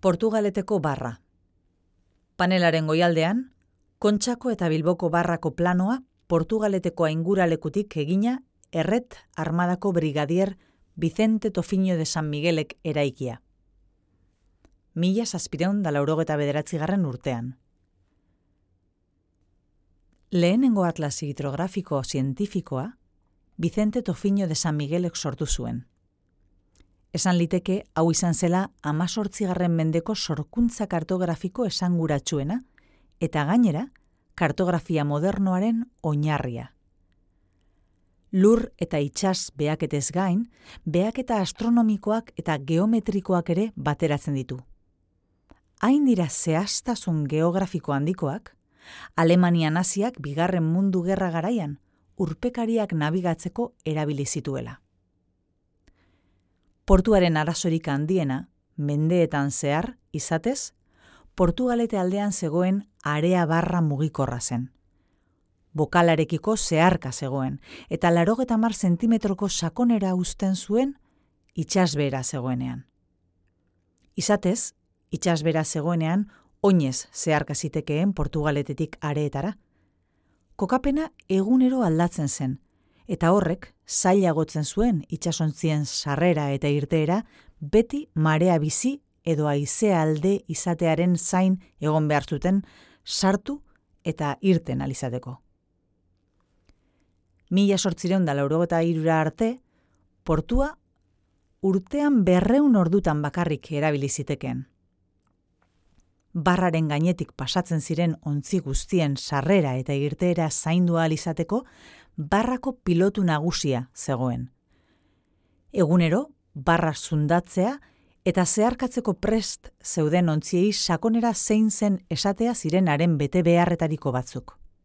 Portugaleteko barra. Panelaren goialdean, Kontxako eta Bilboko barrako planoa Portugaleteko ainguralekutik egina Erret armadako brigadier Vicente Tofiño de San Miguelek eraikia. 1789 urtean. Lehenengo atlas hidrografiko zientifikoa Vicente Tofiño de San Miguelek sortu zuen. Esan liteke hau izan zela 18. mendeko sorkuntza kartografiko esanguratsuena eta gainera kartografia modernoaren oinarria. Lur eta itsas behaketez gain, behaketa astronomikoak eta geometrikoak ere bateratzen ditu. Hain dira zehaztasun geografiko handikoak, Alemania naziak Bigarren Mundu Gerra garaian urpekariak nabigatzeko erabili zituela. Portuaren arazorik handiena, mendeetan zehar, izatez, Portugalete aldean zegoen area barra mugikorra zen. Bokalarekiko zeharka zegoen, eta 80 zentimetroko sakonera uzten zuen itsasbehera zegoenean. Izatez, itsasbehera zegoenean oinez zeharka zitekeen Portugaletetik areetara. Kokapena egunero aldatzen zen, eta horrek zailagotzen zuen itsasontzien sarrera eta irteera beti marea bizi edo haizea alde izatearen zain egon behar zuten sartu eta irten alizateko. 1883 arte, portua urtean 200 ordutan bakarrik erabili zitekeen. Barraren gainetik pasatzen ziren ontzi guztien sarrera eta irteera zaindu ahal izateko barrako pilotu nagusia zegoen. Egunero, barra zundatzea eta zeharkatzeko prest zeuden ontziei sakonera zein zen esatea ziren haren bete beharretariko batzuk.